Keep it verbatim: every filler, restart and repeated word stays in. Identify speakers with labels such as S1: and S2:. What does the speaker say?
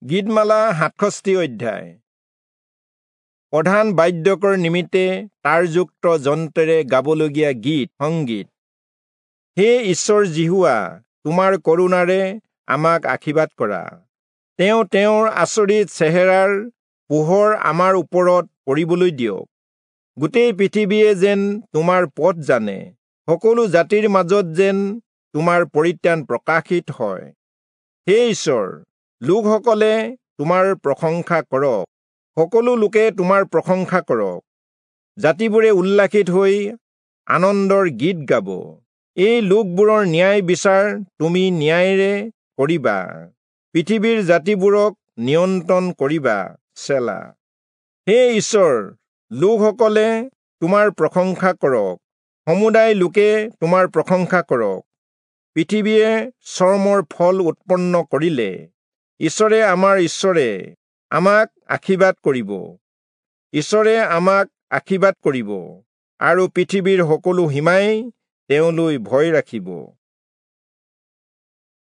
S1: গীতমালা সাতষষ্ঠি অধ্যায়। প্ৰধান বাদ্যকৰ নিমিত্তে তাৰযুক্ত যন্ত্ৰেৰে গাবলগীয়া গীত সংগীত। হে ঈশ্বৰ যিহোৱা, তোমাৰ কৰুণাৰে আমাক আশীৰ্বাদ কৰা। তেওঁ তেওঁৰ আচৰিত চেহেৰাৰ পোহৰ আমাৰ ওপৰত পৰিবলৈ দিয়ক। গোটেই পৃথিৱীয়ে যেন তোমাৰ পথ জানে, সকলো জাতিৰ মাজত যেন তোমাৰ পৰিত্ৰাণ প্ৰকাশিত হয়। হে ঈশ্বৰ, লোকসকলে তোমাৰ প্ৰশংসা কৰক, সকলো লোকে তোমাৰ প্ৰশংসা কৰক। জাতিবোৰে উল্লাসিত হৈ আনন্দৰ গীত গাব। এই লোকবোৰৰ ন্যায় বিচাৰ তুমি ন্যায়েৰে কৰিবা, পৃথিৱীৰ জাতিবোৰক নিয়ন্ত্ৰণ কৰিবা। চেলা। হে ঈশ্বৰ, লোকসকলে তোমাৰ প্ৰশংসা কৰক, সমুদায় লোকে তোমাৰ প্ৰশংসা কৰক। পৃথিৱীয়ে চৰ্মৰ ফল উৎপন্ন কৰিলে। ঈশ্বৰে আমাৰ ঈশ্বৰে আমাক আশীৰ্বাদ কৰিব, ঈশ্বৰে আমাক আশীৰ্বাদ কৰিব, আৰু পৃথিৱীৰ সকলো সীমাই তেওঁলৈ ভয় ৰাখিব।